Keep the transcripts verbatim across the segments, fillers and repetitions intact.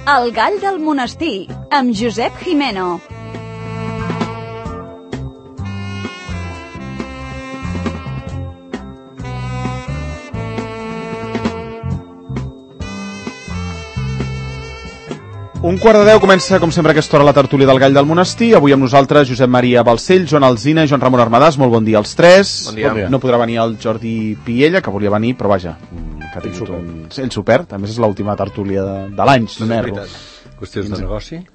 El gall del monestir, amb Josep Jimeno. Un quart de deu comença, com sempre, a aquesta hora la tertúlia del Gall del Monestir. Avui amb nosaltres Josep Maria Balcell, Joan Alsina i Joan Ramon Armadàs. Molt bon dia als tres. Bon dia. Bon dia. No podrà venir el Jordi Piella, que volia venir, però vaja, que ha tingut un... Ell s'ho perd. A més, és l'última tertúlia de, de l'any, no m'erro. Qüestions de negoci?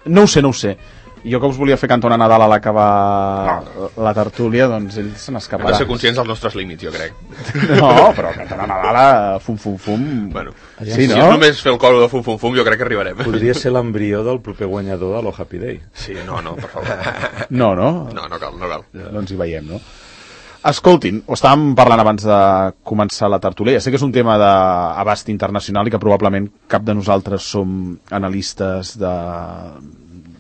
No ho sé, no ho sé. Jo que us volia fer cantar una Nadal a l'acabar no. la tertúlia, doncs ell se n'escaparà. Hem de ser conscients dels nostres límits, jo crec. No, però cantar una Nadal a fum, fum, fum... Bueno, sí, si no? és només fer el coro de fum, fum, fum, jo crec que arribarem. Podria ser l'embrió del proper guanyador de l'O Happy Day. Sí, no, no, per favor. No, no? No, no cal, no cal. No ens hi veiem, no? Escoltin, ho estàvem parlant abans de començar la tertúlia. Ja sé que és un tema d'abast internacional i que probablement cap de nosaltres som analistes de...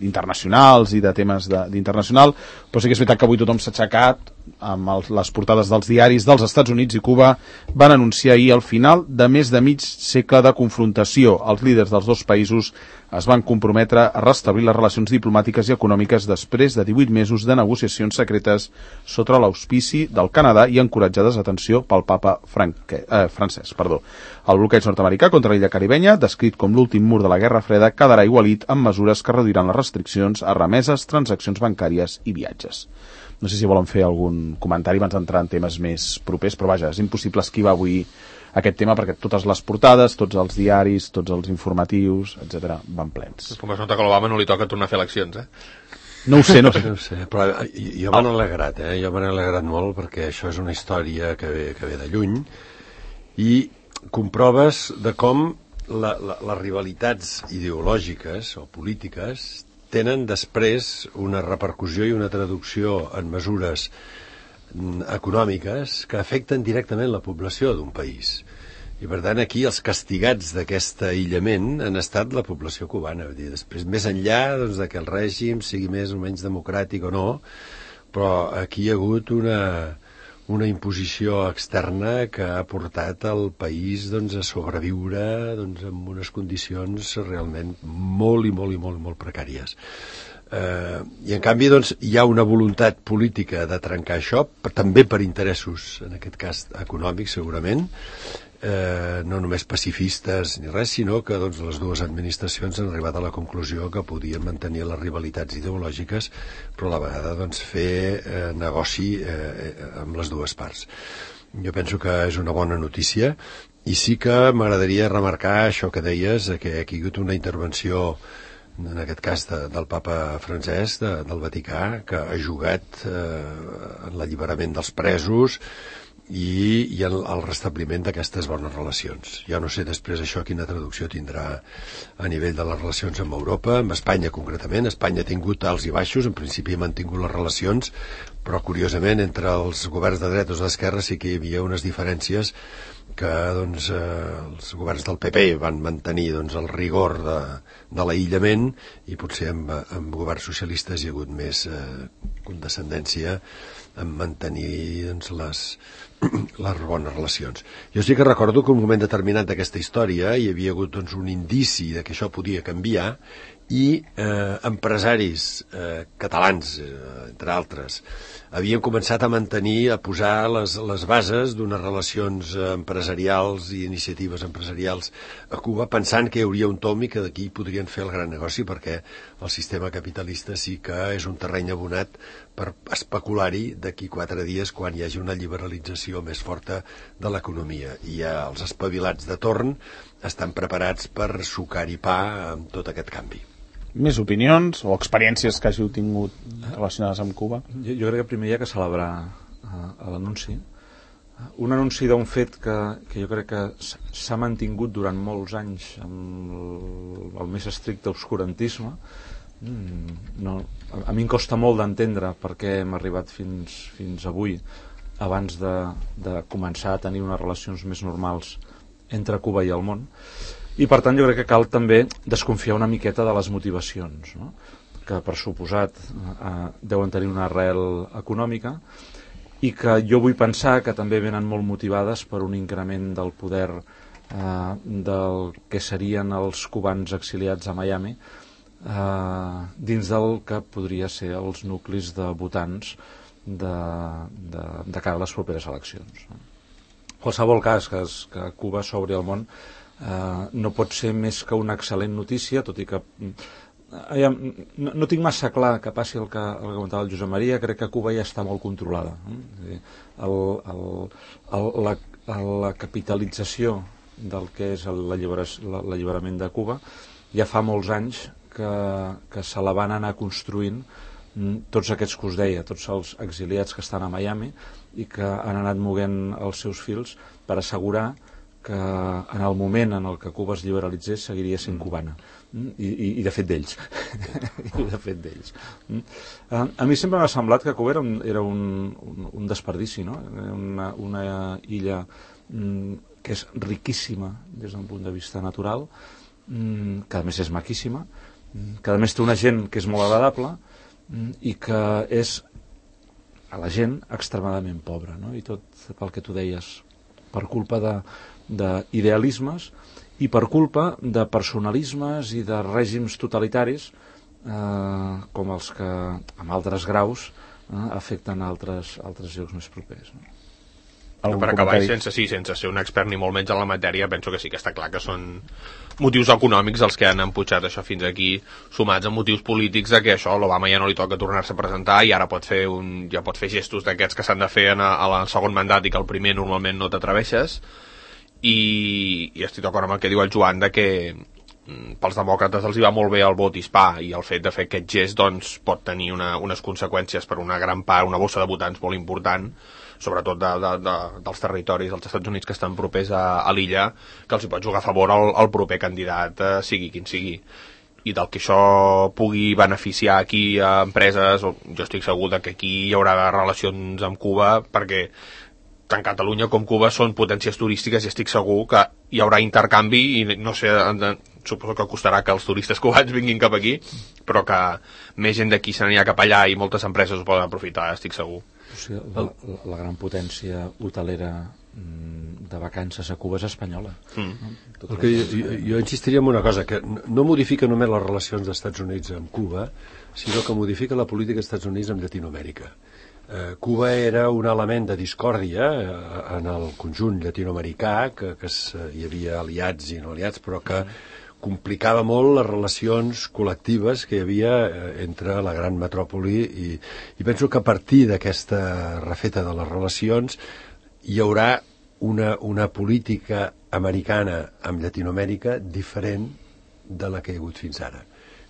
internacionals i de temes d'internacional, però sí que és veritat que avui tothom s'ha aixecat amb el, les portades dels diaris dels Estats Units i Cuba van anunciar ahir el final de més de mig segle de confrontació. Els líders dels dos països es van comprometre a restablir les relacions diplomàtiques i econòmiques després de divuit mesos de negociacions secretes sota l'auspici del Canadà i encoratjades, atenció, pel papa franque, eh, francès. Perdó. El bloqueig nord-americà contra l'illa caribenya, descrit com l'últim mur de la Guerra Freda, quedarà igualit amb mesures que reduiran les restriccions a remeses, transaccions bancàries i viatges. No sé si volen fer algun comentari abans d'entrar en temes més propers, però vaja, és impossible esquivar avui aquest tema perquè totes les portades, tots els diaris, tots els informatius, etcètera, van plens. Com es nota que a l'Obama no li toca tornar a fer eleccions, eh? No ho sé, no ho sé. No ho sé, però jo m'han alegrat, eh? Jo m'han alegrat molt perquè això és una història que ve, que ve de lluny i comproves de com la, la, les rivalitats ideològiques o polítiques tenen després una repercussió i una traducció en mesures econòmiques que afecten directament la població d'un país. I per tant aquí els castigats d'aquest aïllament han estat la població cubana. Vull dir, després, més enllà doncs, de que el règim sigui més o menys democràtic o no, però aquí hi ha hagut una, una imposició externa que ha portat el país doncs, a sobreviure doncs, en unes condicions realment molt i molt i molt, molt precàries. Uh, i en canvi doncs, hi ha una voluntat política de trencar això, per, també per interessos, en aquest cas econòmics segurament, uh, no només pacifistes ni res, sinó que doncs, les dues administracions han arribat a la conclusió que podien mantenir les rivalitats ideològiques, però a la vegada doncs, fer uh, negoci uh, amb les dues parts. Jo penso que és una bona notícia i sí que m'agradaria remarcar això que deies, que hi ha hagut una intervenció en aquest cas de, del papa francès de, del Vaticà, que ha jugat eh, en l'alliberament dels presos i, i en el restabliment d'aquestes bones relacions. Jo no sé després això quina traducció tindrà a nivell de les relacions amb Europa, amb Espanya concretament. Espanya ha tingut alts i baixos, en principi ha mantingut les relacions, però curiosament entre els governs de dretes o d'esquerra sí que hi havia unes diferències que doncs, eh, els governs del P P van mantenir doncs, el rigor de, de l'aïllament i potser amb, amb governs socialistes hi ha hagut més eh, condescendència en mantenir doncs, les, les bones relacions. Jo sí que recordo que en un moment determinat d'aquesta història hi havia hagut doncs, un indici de que això podia canviar i eh, empresaris eh, catalans, eh, entre altres, havien començat a mantenir, a posar les, les bases d'unes relacions empresarials i iniciatives empresarials a Cuba, pensant que hi hauria un tom i que d'aquí podrien fer el gran negoci, perquè el sistema capitalista sí que és un terreny abonat per especular-hi d'aquí quatre dies quan hi hagi una liberalització més forta de l'economia. I ja els espavilats de torn estan preparats per sucar-hi pa amb tot aquest canvi. Més opinions o experiències que hàgiu tingut relacionades amb Cuba? Jo, jo crec que primer hi ha que celebrar uh, l'anunci. Un anunci d'un fet que, que jo crec que s'ha mantingut durant molts anys amb el, el més estricte obscurantisme. Mm, no, a, a mi em costa molt d'entendre per què hem arribat fins, fins avui, abans de, de començar a tenir unes relacions més normals entre Cuba i el món. I per tant jo crec que cal també desconfiar una miqueta de les motivacions, no? Que per suposat eh, deuen tenir una arrel econòmica i que jo vull pensar que també venen molt motivades per un increment del poder eh, del que serien els cubans exiliats a Miami, eh, dins del que podria ser els nuclis de votants de, de, de cara a les properes eleccions. Qualsevol cas que, es, que Cuba s'obri al món eh, no pot ser més que una excel·lent notícia, tot i que eh, no, no tinc massa clar que passi el que, el que comentava el Josep Maria. Crec que Cuba ja està molt controlada. Eh? El, el, el, la, la capitalització del que és l'alliberament de Cuba ja fa molts anys que, que se la van anar construint tots aquests que us deia, tots els exiliats que estan a Miami i que han anat moguent els seus fils per assegurar que en el moment en el que Cuba es liberalitzés seguiria sent cubana. I, i, i de fet d'ells. I de fet d'ells. A, a mi sempre m'ha semblat que Cuba era un, era un, un, un desperdici, no? Una, una illa mm, que és riquíssima des d'un punt de vista natural, mm, que a més és maquíssima, que a més té una gent que és molt agradable i que és a la gent extremadament pobra, no? I tot pel que tu deies, per culpa de d'idealismes i per culpa de personalismes i de règims totalitaris eh, com els que amb altres graus eh, afecten altres, altres llocs més propers, no? No, per acabar, sense, sí, sense ser un expert ni molt menys en la matèria, penso que sí que està clar que són motius econòmics els que han emputxat això fins aquí, sumats a motius polítics de que això, l'Obama ja no li toca tornar-se a presentar i ara pot fer, un, ja pot fer gestos d'aquests que s'han de fer en el segon mandat i que el primer normalment no t'atreveixes. I, i estic d'acord amb el que diu el Joan de que pels demòcrates els hi va molt bé el vot hispà i el fet de fer aquest gest doncs, pot tenir una, unes conseqüències per una gran part, una bossa de votants molt important, sobretot de, de, de, dels territoris dels Estats Units que estan propers a, a l'illa, que els hi pot jugar a favor el, el proper candidat, eh, sigui quin sigui. I del que això pugui beneficiar aquí a empreses, jo estic segur de que aquí hi haurà relacions amb Cuba, perquè tant Catalunya com Cuba són potències turístiques i estic segur que hi haurà intercanvi i no sé, suposo que costarà que els turistes cubans vinguin cap aquí, però que més gent d'aquí se n'anirà cap allà i moltes empreses ho poden aprofitar, estic segur. O sigui, la, la, la gran potència hotelera de vacances a Cuba és espanyola. Mm. El que jo, jo, jo insistiria en una cosa, que no modifica només les relacions dels Estats Units amb Cuba, sinó que modifica la política dels Estats Units amb Llatinoamèrica. Eh, Cuba era un element de discòrdia eh, en el conjunt llatinoamericà, que, que es, hi havia aliats i no aliats, però que complicava molt les relacions col·lectives que hi havia eh, entre la gran metròpoli i, i penso que a partir d'aquesta refeta de les relacions hi haurà una, una política americana amb Llatinoamèrica diferent de la que hi ha hagut fins ara.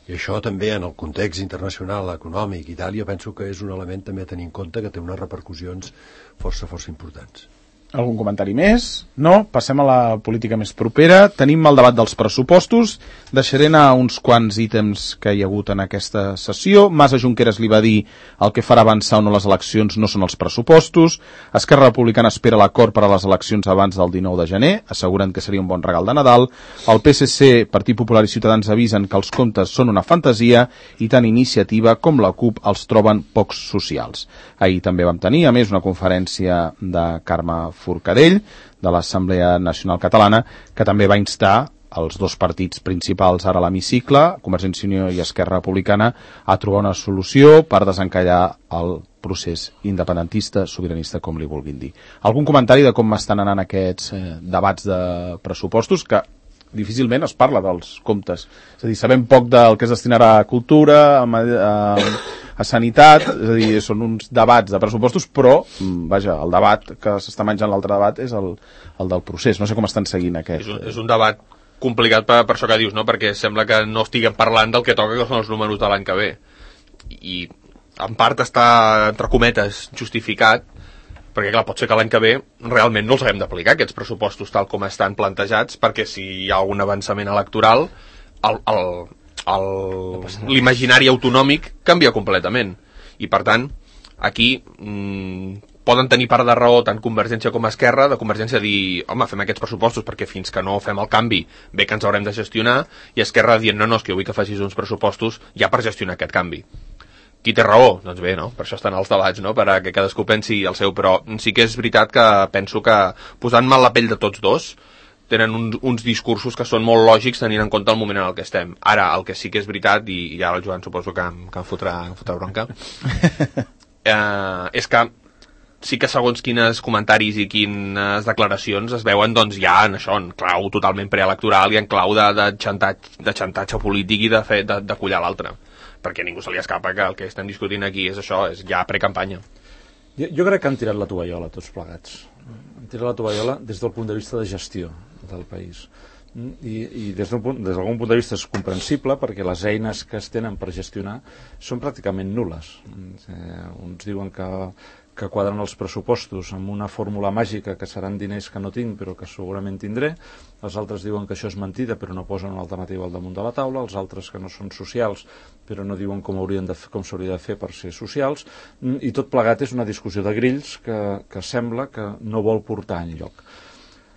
I això també en el context internacional econòmic i tal, jo penso que és un element també a tenir en compte que té unes repercussions força, força importants. Algun comentari més? No? Passem a la política més propera. Tenim el debat dels pressupostos. Deixaré anar uns quants ítems que hi ha hagut en aquesta sessió. Mas a Junqueras li va dir el que farà avançar o no les eleccions no són els pressupostos. Esquerra Republicana espera l'acord per a les eleccions abans del dinou de gener, asseguren que seria un bon regal de Nadal. El P S C, Partit Popular i Ciutadans avisen que els comptes són una fantasia i tant Iniciativa com la CUP els troben pocs socials. Ahir també vam tenir, a més, una conferència de Carme Forcadell, de l'Assemblea Nacional Catalana, que també va instar els dos partits principals ara a l'hemicicle, Convergència i Unió i Esquerra Republicana, a trobar una solució per desencallar el procés independentista, sobiranista, com li vulguin dir. Algun comentari de com estan anant aquests eh, debats de pressupostos, que difícilment es parla dels comptes. És a dir, sabem poc del que es destinarà a cultura, a, a, a sanitat, és a dir, són uns debats de pressupostos, però, vaja, el debat que s'està menjant l'altre debat és el, el del procés. No sé com estan seguint aquest. És un, és un debat complicat per, per això que dius, no? Perquè sembla que no estiguem parlant del que toca, que són els números de l'any que ve. I en part està, entre cometes, justificat, perquè clar, pot ser que l'any que ve realment no els haguem d'aplicar aquests pressupostos tal com estan plantejats, perquè si hi ha un avançament electoral l'imaginari autonòmic canvia completament i per tant aquí mmm, poden tenir part de raó tant Convergència com Esquerra, de Convergència dir home, fem aquests pressupostos perquè fins que no fem el canvi bé que ens haurem de gestionar, i Esquerra dient no, no, és que jo vull que facis uns pressupostos ja per gestionar aquest canvi. Qui té raó? Doncs bé, no? Per això estan els debats, no? Perquè cadascú pensi el seu, però sí que és veritat que penso que posant mal la pell de tots dos tenen un, uns discursos que són molt lògics tenint en compte el moment en el que estem. Ara, el que sí que és veritat, i, i ara el Joan suposo que, em, que em fotrà, em fotrà bronca, eh, és que sí que segons quines comentaris i quines declaracions es veuen doncs ja en això, en clau totalment preelectoral i en clau de, de, xantatge, de xantatge polític i de, fer, de, de collar l'altre, perquè ningú se li escapa que el que estem discutint aquí és això, és ja precampanya. Jo, jo crec que han tirat la tovallola tots plegats, han tirat la tovallola des del punt de vista de gestió del país. I, i des d'algun punt, punt de vista és comprensible perquè les eines que es tenen per gestionar són pràcticament nul·les. Eh, uns diuen que, que quadren els pressupostos amb una fórmula màgica que seran diners que no tinc però que segurament tindré, els altres diuen que això és mentida però no posen una alternativa al damunt de la taula, els altres que no són socials però no diuen com haurien de fer, com s'hauria de fer per ser socials, i tot plegat és una discussió de grills que, que sembla que no vol portar enlloc.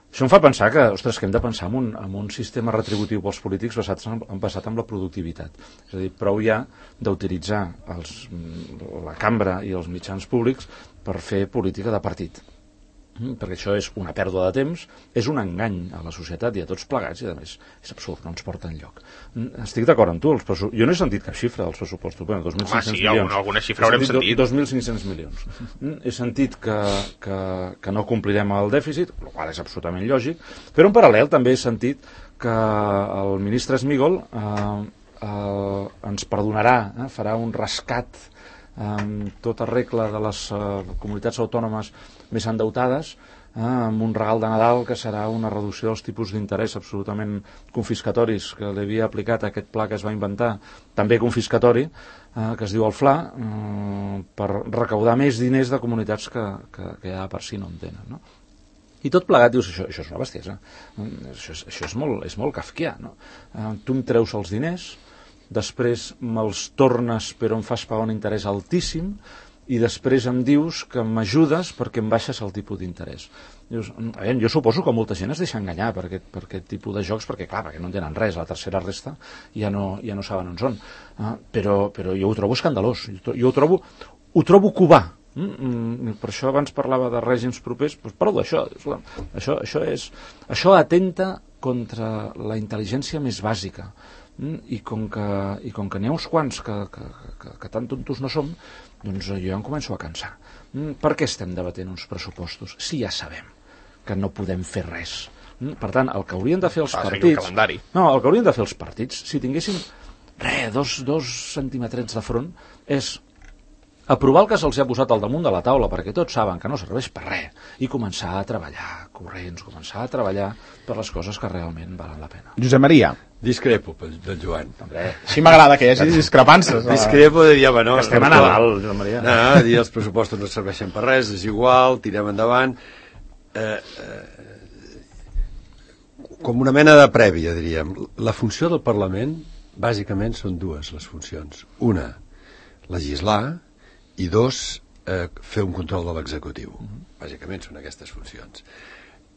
Això em fa pensar que, ostres, que hem de pensar en un, en un sistema retributiu pels polítics basat en, basat en la productivitat. És a dir, prou ja d'utilitzar els, la cambra i els mitjans públics per fer política de partit. Perquè això és una pèrdua de temps, és un engany a la societat i a tots plegats, i a més és absurd, no ens porta enlloc. Estic d'acord amb tu, els pressu... jo no he sentit cap xifra dels pressupostos, bueno, dos mil cinc-cents Home, sí, milions. Alguna, alguna xifra haurem sentit. dos mil cinc-cents milions. He sentit que, que, que no complirem el dèficit, el qual és absolutament lògic, però en paral·lel també he sentit que el ministre Smigol eh, eh, ens perdonarà, eh, farà un rescat amb tota regla de les uh, comunitats autònomes més endeutades, eh, amb un regal de Nadal que serà una reducció dels tipus d'interès absolutament confiscatoris que li havia aplicat aquest pla que es va inventar, també confiscatori, eh, que es diu el F L A, eh, per recaudar més diners de comunitats que, que, que ja per si no en tenen, no? I tot plegat dius, això, això és una bestiesa, això és, això és, molt, és molt kafkià, no? Eh, tu em treus els diners, després me'ls tornes però em fas pagar un interès altíssim i després em dius que m'ajudes perquè em baixes el tipus d'interès. Dius, veure, jo suposo que molta gent es deixa enganyar per aquest, per aquest tipus de jocs perquè clar, perquè no entenen res, la tercera resta ja no, ja no saben on són, uh, però, però jo ho trobo escandalós, jo, jo ho trobo ho trobo cubà. Mm, per això abans parlava de règims propers, doncs parlo d'això, això, això, és, això atenta contra la intel·ligència més bàsica. I com que, i com que n'hi ha uns quants que, que, que, que tan tontos no som, doncs jo ja em començo a cansar. Per què estem debatent uns pressupostos si ja sabem que no podem fer res? Per tant, el que haurien de fer els ah, partits... El no, el que haurien de fer els partits, si tinguessin res, dos, dos centimetrets de front, és aprovar el que se'ls ha posat al damunt de la taula perquè tots saben que no serveix per res i començar a treballar corrents, començar a treballar per les coses que realment valen la pena. Josep Maria. Discrepo del Joan. Hombre, així m'agrada que hi hagi discrepances. Discrepo de dir, home, no... Estem a Nadal, Josep Maria. No, dir els pressupostos no serveixen per res, és igual, tirem endavant. Eh, eh, com una mena de prèvia, diríem. La funció del Parlament, bàsicament, són dues les funcions. Una, legislar, i dos, eh, fer un control de l'executiu. Bàsicament són aquestes funcions.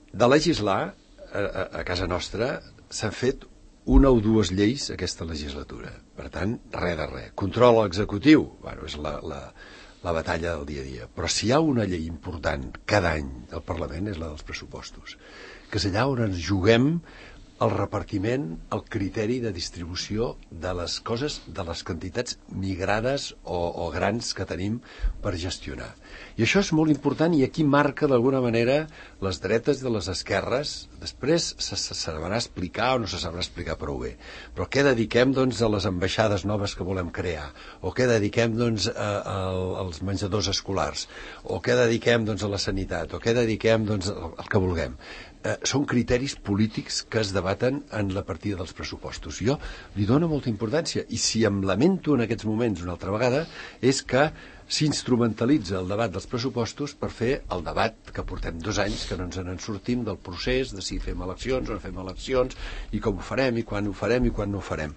De legislar, a, a, a casa nostra, s'han fet una o dues lleis aquesta legislatura. Per tant, res de res. Control executiu, bueno, és la, la, la batalla del dia a dia. Però si hi ha una llei important cada any al Parlament és la dels pressupostos, que és allà on ens juguem el repartiment, el criteri de distribució de les coses, de les quantitats migrades o, o grans que tenim per gestionar. I això és molt important i aquí marca d'alguna manera les dretes de les esquerres. Després se, se sabrà explicar o no se sabrà explicar prou bé. Però què dediquem doncs, a les ambaixades noves que volem crear? O què dediquem doncs, a, a, als menjadors escolars? O què dediquem doncs, a la sanitat? O què dediquem doncs, al, al que vulguem? Eh, són criteris polítics que es debaten en la partida dels pressupostos. Jo li dono molta importància i si em lamento en aquests moments una altra vegada és que s'instrumentalitza el debat dels pressupostos per fer el debat que portem dos anys que no ens en sortim del procés de si fem eleccions o no fem eleccions i com ho farem i quan ho farem i quan no ho farem.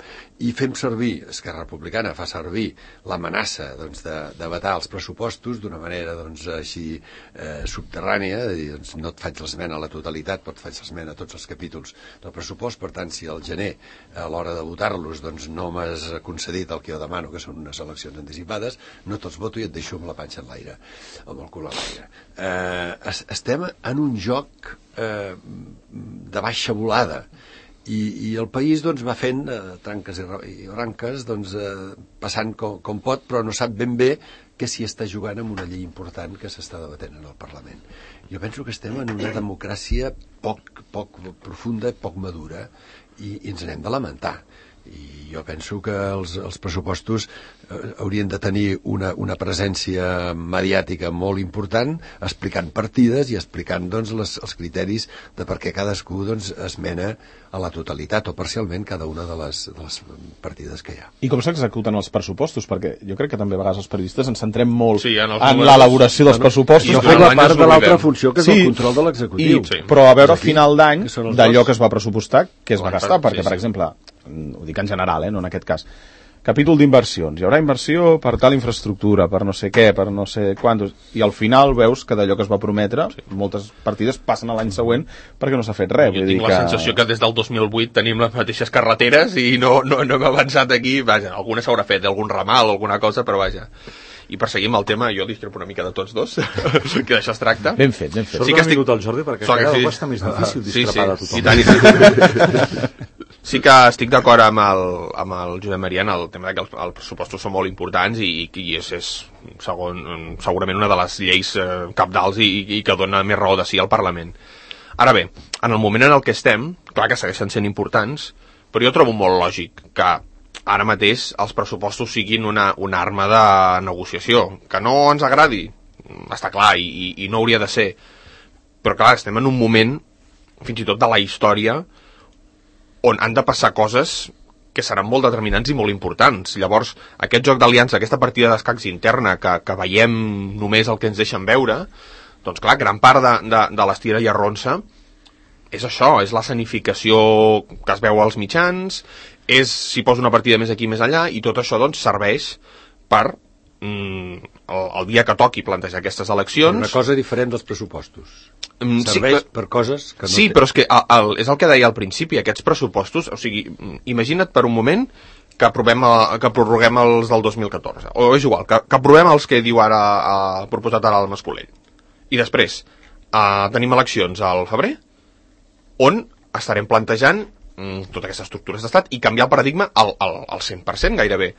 I fem servir, Esquerra Republicana fa servir l'amenaça doncs, de, de vetar els pressupostos d'una manera doncs, així eh, subterrània, de dir, doncs, no et faig l'esmena a la totalitat, però et faig l'esmena a tots els capítols del pressupost, per tant, si al gener a l'hora de votar-los doncs, no m'has concedit el que jo demano, que són unes eleccions anticipades, no te'ls voto i et deixo amb la panxa en l'aire, amb el cul a l'aire. Eh, estem en un joc eh, de baixa volada, i, i el país doncs, va fent eh, tranques i branques, doncs, eh, passant com, com pot, però no sap ben bé que s'hi està jugant amb una llei important que s'està debatent en el Parlament. Jo penso que estem en una democràcia poc, poc profunda, poc madura, i, i ens n'hem de lamentar. I jo penso que els, els pressupostos eh, haurien de tenir una, una presència mediàtica molt important, explicant partides i explicant doncs, les, els criteris de per què cadascú doncs, esmena a la totalitat o parcialment cada una de les, de les partides que hi ha. I com s'executen els pressupostos? Perquè jo crec que també a vegades els periodistes ens centrem molt sí, en, en l'elaboració dels pressupostos. I no fem la part de l'altra funció, que és sí, el control de l'executiu. Sí. Però a veure a final d'any d'allò que es va pressupostar, que es va gastar, perquè, per exemple, ho dic en general, eh, no en aquest cas, capítol d'inversions, hi haurà inversió per tal infraestructura, per no sé què, per no sé quantos, i al final veus que d'allò que es va prometre, sí, moltes partides passen a l'any següent perquè no s'ha fet res. Jo vull tinc dir la que... sensació que des del dos mil vuit tenim les mateixes carreteres i no, no, no hem avançat aquí, vaja, alguna s'haurà fet, algun ramal, alguna cosa, però vaja. I per seguir amb el tema, jo discrepo una mica de tots dos, que d'això es tracta. Ben fet, ben fet. Sort sí que estic... vingut el Jordi, perquè cada cop està més difícil discrepar de tothom. Sí, sí, i tant, i tant. Sí que estic d'acord amb el, amb el Josep Maria en el tema que els, els pressupostos són molt importants i, i és, és segon, segurament una de les lleis eh, cabdals i, i que dona més raó de sí al Parlament. Ara bé, en el moment en el que estem, clar que segueixen sent importants, però jo trobo molt lògic que ara mateix els pressupostos siguin una, una arma de negociació. Que no ens agradi, està clar, i, i no hauria de ser. Però clar, estem en un moment, fins i tot de la història, on han de passar coses que seran molt determinants i molt importants. Llavors, aquest joc d'aliança, aquesta partida d'escacs interna que, que veiem només el que ens deixen veure, doncs clar, gran part de, de, de l'estira i arronsa és això, és la escenificació que es veu als mitjans, és si posa una partida més aquí més allà, i tot això doncs serveix per mm, el, el dia que toqui plantejar aquestes eleccions. Una cosa diferent dels pressupostos. Mm, serveix sí, per coses que no sí, té. Però és que el, el, és el que deia al principi, aquests pressupostos, o sigui, imagina't per un moment que, aprovem a, que prorroguem els del dos mil catorze, o és igual, que, que aprovem els que diu ara, ha proposat ara el Mascolell, i després eh, tenim eleccions al febrer, on estarem plantejant mm, totes aquestes estructures d'estat i canviar el paradigma al, al, al cent per cent gairebé.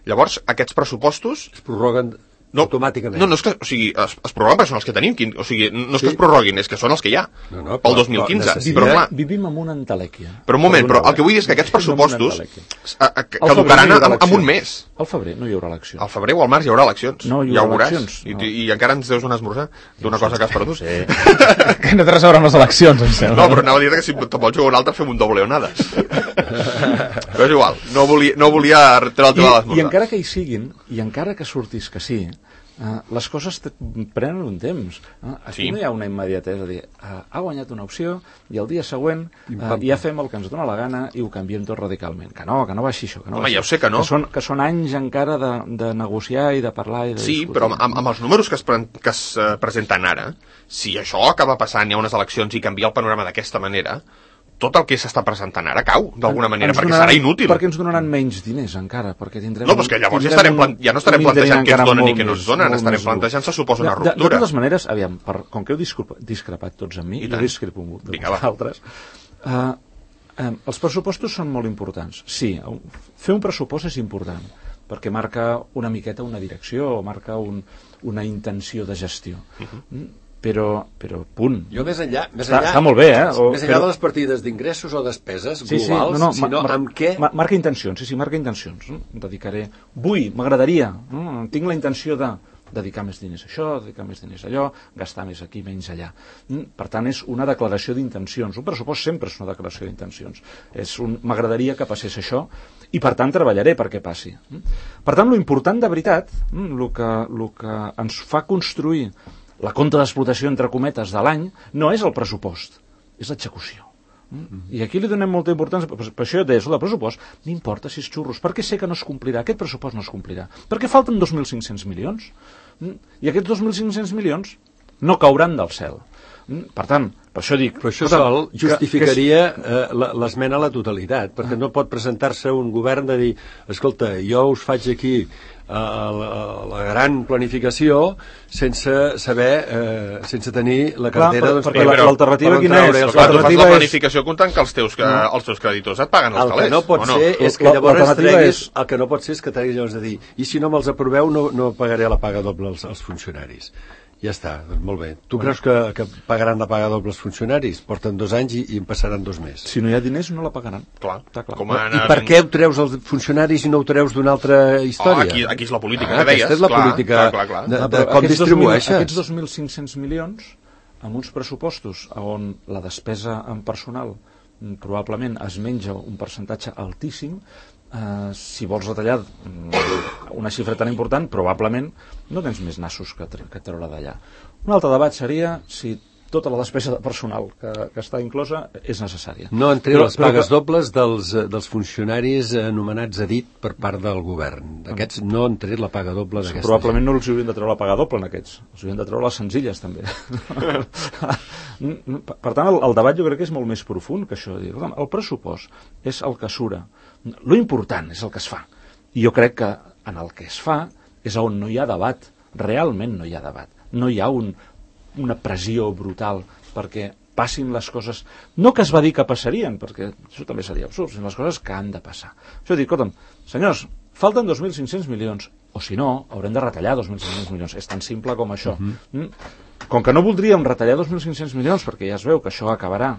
Llavors, aquests pressupostos es prorroguen no, automàticament. No, no és que, o sigui, es, es prorroguen perquè són els que tenim, o sigui, no és sí. que es prorroguin, és que són els que hi ha, no, no, pel dos mil quinze. Vivim, però, clar, vivim amb una entelèquia. Però un moment, però el que vull dir és que aquests pressupostos caducaran no en un mes. Al febrer no hi haurà eleccions. Al febrer o al març hi haurà eleccions. No hi ja haurà ho veuràs. eleccions. I, no. I encara ens deus un esmorzar d'una cosa que has perdut. Sí. Que no té res a veure amb les eleccions, em sembla. No, però anava a dir que si te'n vols jugar un altre fem un doble o nada. Però és igual, no volia, no volia treure el tema de l'esmorzar. I encara que hi siguin, i encara que surtis que sí, Uh, les coses prenen un temps. Uh, aquí sí. No hi ha una immediatesa de dir, uh, ha guanyat una opció i el dia següent uh, ja fem el que ens dona la gana i ho canviem tot radicalment. Que no, que no va així això. Que no Home, va ja ho sé que no. Que són, que són anys encara de, de negociar i de parlar i de sí, discutir. Però amb, amb els números que es, pre que es uh, presenten ara, si això acaba passant, hi ha unes eleccions i canvia el panorama d'aquesta manera, tot el que s'està presentant ara cau, d'alguna manera, ens perquè donaran, serà inútil. Perquè ens donaran menys diners, encara, perquè tindrem... No, però és que llavors ja, estarem plan... ja no estarem plantejant què ens donen i què no ens donen, estarem plantejant, se suposa, una ruptura. De, de totes maneres, aviam, per, com que heu discrepat tots amb mi, jo discrepo de Vinga, vosaltres, uh, um, els pressupostos són molt importants. Sí, fer un pressupost és important, perquè marca una miqueta una direcció, o marca un, una intenció de gestió. Uh-huh. Mm? Però, però, punt. Jo més enllà... Més està, enllà, està molt bé, eh? O, més enllà però... de les partides d'ingressos o despeses sí, globals, sí, no, no, sinó ma, amb què... Ma, marca intencions, sí, sí, marca intencions. No? Dedicaré... Vull, m'agradaria, no? Tinc la intenció de dedicar més diners a això, dedicar més diners a allò, gastar més aquí, menys allà. Per tant, és una declaració d'intencions. Un pressupost sempre és una declaració d'intencions. És un... M'agradaria que passés això i, per tant, treballaré perquè passi. Per tant, lo important de veritat, el que, lo que ens fa construir la compta d'explotació, entre cometes, de l'any, no és el pressupost, és l'execució. Mm? I aquí li donem molta importància, per, per això jo deia, el pressupost, m'importa si és xurros, perquè sé que no es complirà, aquest pressupost no es complirà, perquè falten dos mil cinc-cents milions, mm? I aquests dos mil cinc-cents milions no cauran del cel. Mm? Per tant, per això dic... Però això sol justificaria eh, l'esmena a la totalitat, perquè ah. no pot presentar-se un govern de dir, escolta, jo us faig aquí la, la gran planificació sense saber, eh, sense tenir la cartera... Clar, doncs, perquè per, l'alternativa per quina és? Però clar, tu fas la planificació comptant que els teus, que els teus creditors et paguen els el calés. que no pot no? ser és que La- llavors l'alternativa treguis, és- el que no pot ser és que treguis llavors de dir i si no me'ls aproveu no, no pagaré la paga doble als, als funcionaris. Ja està, doncs molt bé. Tu creus que, que pagaran la paga doble als funcionaris? Porten dos anys i, i en passaran dos més. Si no hi ha diners, no la pagaran. Clar, Està clar. com I a- per què ho treus als funcionaris i no ho treus d'una altra història? Oh, aquí, aquí és la política Ah, que deies. aquesta és la clar, política clar, clar, clar. de, Ah, de però com aquests distribueixes. dos mil, aquests dos mil cinc-cents milions, amb uns pressupostos on la despesa en personal mm, probablement es menja un percentatge altíssim, eh, si vols retallar mm, una xifra tan important, probablement no tens més nassos que, tre que treure d'allà. Un altre debat seria si tota la despesa de personal que, que està inclosa és necessària. No han tret Però- les però pagues que- dobles dels, eh, dels funcionaris anomenats a dit per part del govern. Aquests no han tret la paga doble d'aquesta Probablement no els haurien de treure la paga doble en aquests, els haurien de treure les senzilles també. Per tant, el, el debat jo crec que és molt més profund que això. Dir, el pressupost és el que sura, lo important és el que es fa, i jo crec que en el que es fa és on no hi ha debat, realment no hi ha debat, no hi ha un, una pressió brutal perquè passin les coses, no que es va dir que passarien, perquè això també seria absurd, sinó les coses que han de passar. Això dir, escolta'm, senyors, falten dos mil cinc-cents milions, o si no, haurem de retallar dos mil cinc-cents milions. És tan simple com això. Uh -huh. Com que no voldríem retallar dos mil cinc-cents milions, perquè ja es veu que això acabarà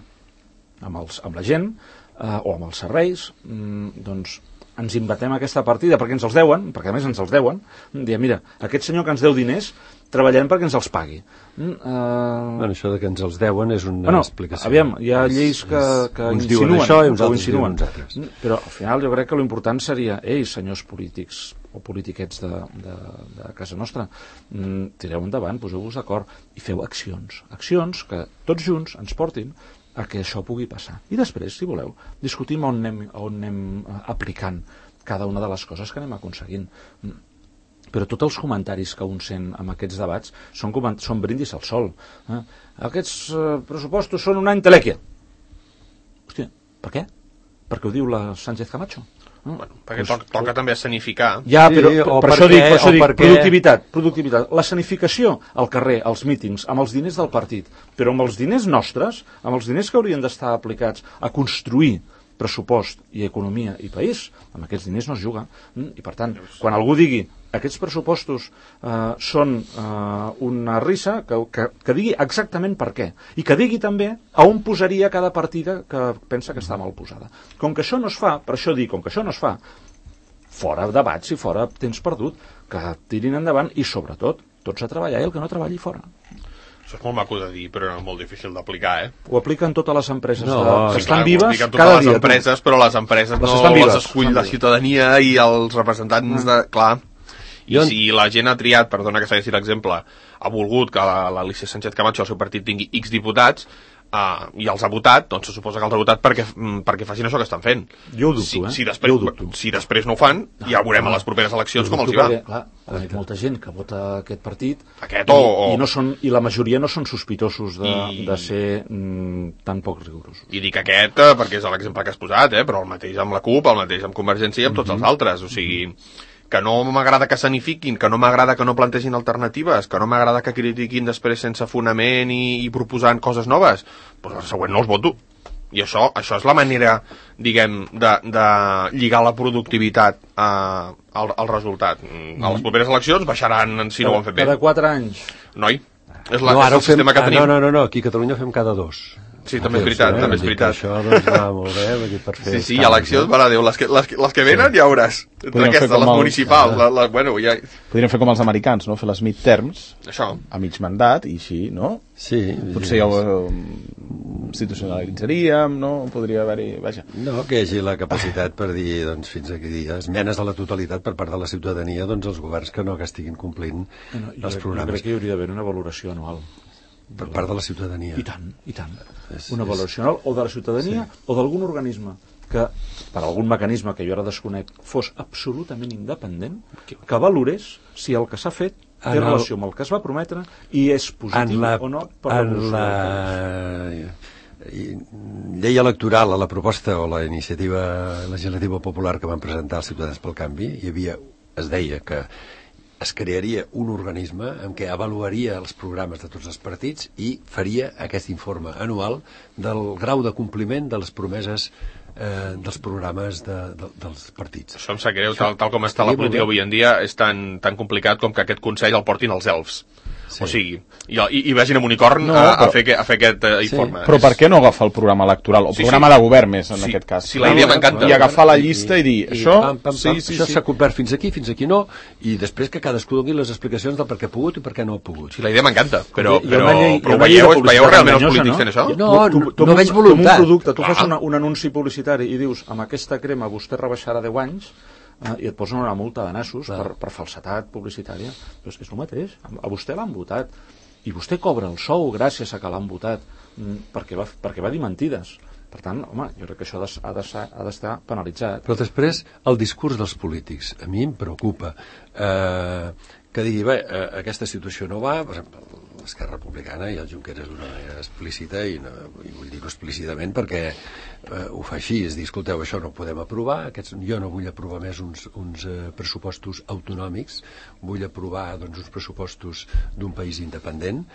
amb, els, amb la gent, eh, o amb els serveis, mm, doncs ens inventem aquesta partida perquè ens els deuen, perquè a més ens els deuen, diem, mira, aquest senyor que ens deu diners, treballarem perquè ens els pagui. Mm, uh... Bueno, això de que ens els deuen és una bueno, explicació. Aviam, hi ha lleis que, que uns insinuen, diuen això i uns que ho altres diuen insinuen. uns altres. Mm, però al final jo crec que l'important seria, ei, senyors polítics o politiquets de, de, de casa nostra, mm, tireu endavant, poseu-vos d'acord i feu accions. Accions que tots junts ens portin a que això pugui passar. I després, si voleu, discutim on anem, on anem eh, aplicant cada una de les coses que anem aconseguint. Mm. Però tots els comentaris que un sent amb aquests debats són, són brindis al sol. Eh? Aquests eh, pressupostos són una entelèquia. Hòstia, per què? Perquè ho diu la Sánchez Camacho. Mm. Bueno, perquè to toca també escenificar. Ja, Sí, però o per, per per això què, dic, per això o dic per què. productivitat, productivitat. L'escenificació al carrer, als mítings, amb els diners del partit, però amb els diners nostres, amb els diners que haurien d'estar aplicats a construir pressupost i economia i país, amb aquests diners no es juga. I per tant, quan algú digui aquests pressupostos eh, són eh, una risa, que, que, que digui exactament per què. I que digui també a on posaria cada partida que pensa que està mal posada. Com que això no es fa, per això dic, com que això no es fa, fora debats i fora temps perdut, que tirin endavant i, sobretot, tots a treballar i el que no treballi fora. Això és molt maco de dir, però molt difícil d'aplicar, eh? Ho apliquen totes les empreses No, de, que Sí, estan clar, ho vives apliquen cada totes dia. les empreses, però les empreses Les no estan vives, les escull estan la vives. ciutadania i els representants de... Clar. I Jo- si la gent ha triat, perdona que segueixi l'exemple, ha volgut que l'Alicia Sánchez Camacho, el seu partit, tingui X diputats, uh, i els ha votat, doncs se suposa que els ha votat perquè, perquè facin això que estan fent. Jo ho dubto, si, eh? si, després, Jo ho dubto. si després no ho fan, ja veurem a les properes eleccions com els hi va. Perquè, clar, conec molta gent que vota aquest partit Aquest i, o- o- i, no són, i la majoria no són sospitosos de, I- de ser mm, tan poc rigorosos. I dic aquest eh, perquè és l'exemple que has posat, eh? Però el mateix amb la CUP, el mateix amb Convergència i amb tots els altres. O sigui, que no m'agrada que s'anifiquin, que no m'agrada que no plantegin alternatives, que no m'agrada que critiquin després sense fonament i, i proposant coses noves, doncs el següent no els voto. I això, això és la manera, diguem, de, de lligar la productivitat eh, al, al resultat. A les properes eleccions baixaran si no ho han fet bé. Cada quatre anys. Noi, és, la, No, és ara el ho fem... sistema que Ah, tenim. no, no, no, no, aquí a Catalunya ho fem cada dos. Sí, també és veritat, Eh? també és Vull dir veritat. que Això doncs, va molt bé, vull dir, per fer Sí, els sí, canvis, eleccions, eh? mare de Déu, les que, les, que- les que venen ja veuràs. Entre Podríem fer aquestes, com les el- municipals, Ah. la, la, bueno, ja... Podríem fer com els americans, no? Fer les midterms Això. a mig mandat i així, no? Sí. Potser ja ho eh, institucionalitzaríem, no? Podria haver-hi... Vaja. No, que hi hagi la capacitat per dir, doncs, fins aquí, esmenes a la totalitat per part de la ciutadania, doncs, els governs que no que estiguin complint No, jo, els crec, jo programes. crec que hi hauria d'haver una valoració anual. Per part de la ciutadania. I tant, i tant. És- Una és- valoració anual o de la ciutadania sí. o d'algun organisme que, per algun mecanisme que jo ara desconec, fos absolutament independent, que valorés si el que s'ha fet té En el- relació amb el que es va prometre i és positiu En la, o no per en l'evolució la del país. i- llei electoral, a la proposta o la iniciativa legislativa popular que van presentar els Ciutadans pel Canvi, hi havia es deia que es crearia un organisme en què avaluaria els programes de tots els partits i faria aquest informe anual del grau de compliment de les promeses eh, dels programes de, de, dels partits. Això em sap greu, tal, tal com està la política avui en dia, és tan, tan complicat com que aquest Consell el portin els elfs. Sí. O sigui, i, i, i vagin amb unicorn no, a, a, fer, a fer aquest uh, informe. Sí. Però per què no agafar el programa electoral? O sí, programa sí. de govern més, en sí. aquest cas. Sí, la idea m'encanta. I agafar la llista i, i dir, i, això, pam, pam, pam, sí, sí, això s'ha sí. complert fins aquí, fins aquí no, i després que cadascú doni les explicacions del per què ha pogut i per què no ha pogut. Sí, la idea m'encanta, però, però, llei, però veieu, veieu realment els polítics fent això? No, no, tu, tu, no veig voluntat. Tu un producte, tu fas una, un anunci publicitari i dius, amb aquesta crema vostè rebaixarà deu anys, eh, i et posen una multa de nassos per, per falsetat publicitària. Però és que és el mateix, a vostè l'han votat. I vostè cobra el sou gràcies a que l'han votat perquè va, perquè va dir mentides. Per tant, home, jo crec que això ha d'estar ha d'estar penalitzat. Però després, el discurs dels polítics, a mi em preocupa. Eh, que digui, bé, eh, aquesta situació no va, per exemple, l'Esquerra Republicana i el Junqueras d'una manera explícita, i, no, i vull dir-ho explícitament perquè eh, ho fa així, és dir, escolteu, això no ho podem aprovar, aquests, jo no vull aprovar més uns, uns eh, pressupostos autonòmics, vull aprovar doncs, uns pressupostos d'un país independent,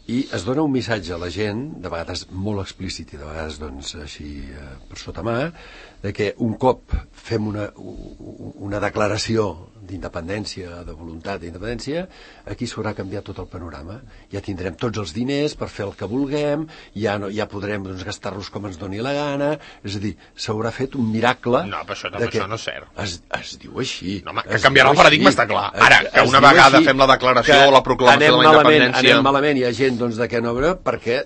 i es dona un missatge a la gent, de vegades molt explícit i de vegades doncs, així eh, per sota mà, de que un cop fem una, una declaració d'independència, de voluntat d'independència, aquí s'haurà canviat tot el panorama. Ja tindrem tots els diners per fer el que vulguem, ja, no, ja podrem doncs, gastar-los com ens doni la gana, és a dir, s'haurà fet un miracle... No, però això, que això no és cert. Es, es diu així. No, home, que canviarà el paradigma està clar. Ara, que una vegada fem la declaració o la proclamació de la independència... Anem malament, hi ha gent doncs, de què no veure, perquè...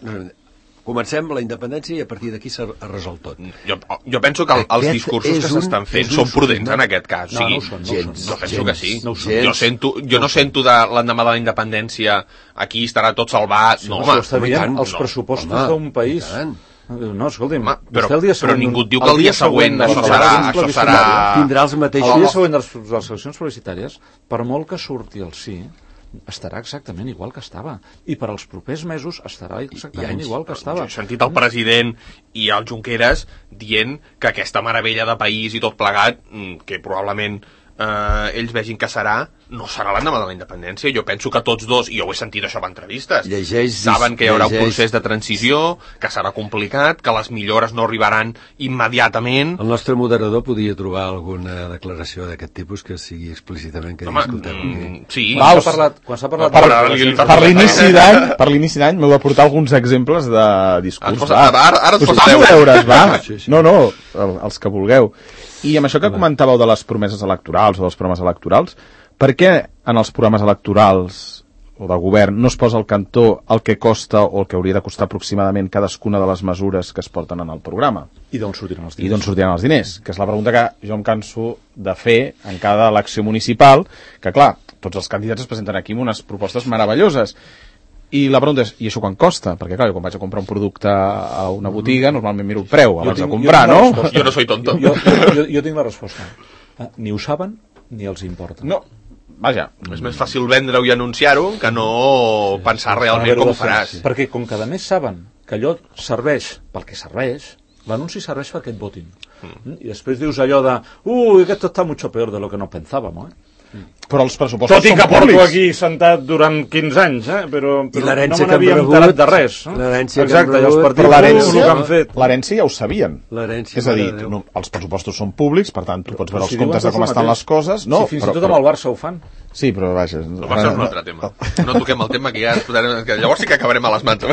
Comencem la independència i a partir d'aquí s'ha resolt tot. Jo, jo penso que el, els discursos que s'estan fent són prudents en aquest cas. No, sí, no ho són, no gens, ho són. Jo penso gens, que sí. No jo, sento, jo no sento de l'endemà de la independència aquí estarà tot salvat. Sí, no, home, home, dient, els pressupostos no, d'un país... No, escolti'm, home, però, el dia següent, però ningú diu que el dia següent, següent això serà... Això serà... Tindrà els mateixos... El dia següent de les, de les eleccions publicitàries, per molt que surti el sí, estarà exactament igual que estava, i per als propers mesos estarà exactament anys, igual que estava. He sentit el president i el Junqueras dient que aquesta meravella de país i tot plegat, que probablement eh, ells vegin que serà, no serà l'endemà de la independència. Jo penso que tots dos, i jo ho he sentit això en entrevistes, llegeix, saben que hi haurà llegeix. un procés de transició, que serà complicat, que les millores no arribaran immediatament. El nostre moderador podria trobar alguna declaració d'aquest tipus que sigui explícitament que Home, discutem mm, sí. Quan s'ha parlat, quan s'ha parlat per, de... per, per l'inici d'any per l'inici d'any m'heu de portar alguns exemples de discurs. Posa, ara ara et posa deures, va. Sí, sí. No, no, els que vulgueu. I amb això que comentàveu de les promeses electorals o dels programes electorals, per què en els programes electorals o de govern no es posa al cantó el que costa o el que hauria de costar aproximadament cadascuna de les mesures que es porten en el programa? I d'on sortiran els diners? I d'on sortiran els diners, que és la pregunta que jo em canso de fer en cada elecció municipal, que clar, tots els candidats es presenten aquí amb unes propostes meravelloses. I la pregunta és, i això quan costa? Perquè clar, jo quan vaig a comprar un producte a una botiga, normalment miro el preu abans tinc, de comprar, jo no? Jo no soy tonto. Jo, jo, jo, jo tinc la resposta. Ni ho saben ni els importa. No. Vaja. És més fàcil vendre-ho i anunciar-ho que no sí, pensar sí, realment com ho faràs. Sí. Perquè com que a més saben que allò serveix pel que serveix, l'anunci serveix perquè et votin. Mm. I després dius allò de ui, esto está mucho peor de lo que nos pensábamos, eh? Però els pressupostos tot i que són porto públics. Aquí sentat durant quinze anys, eh? però, però no me n'havia enterat de res. Eh? L'herència Exacte, que i els partits l'herència que han fet. l'herència ja ho sabien. És a dir, no, els pressupostos són públics, per tant, tu pots veure els comptes de com estan les coses. No, si fins però, i tot amb el Barça ho fan. Sí, però vaja... El Barça és un altre tema. No toquem el tema, que ja podrem, que llavors sí que acabarem a les mans.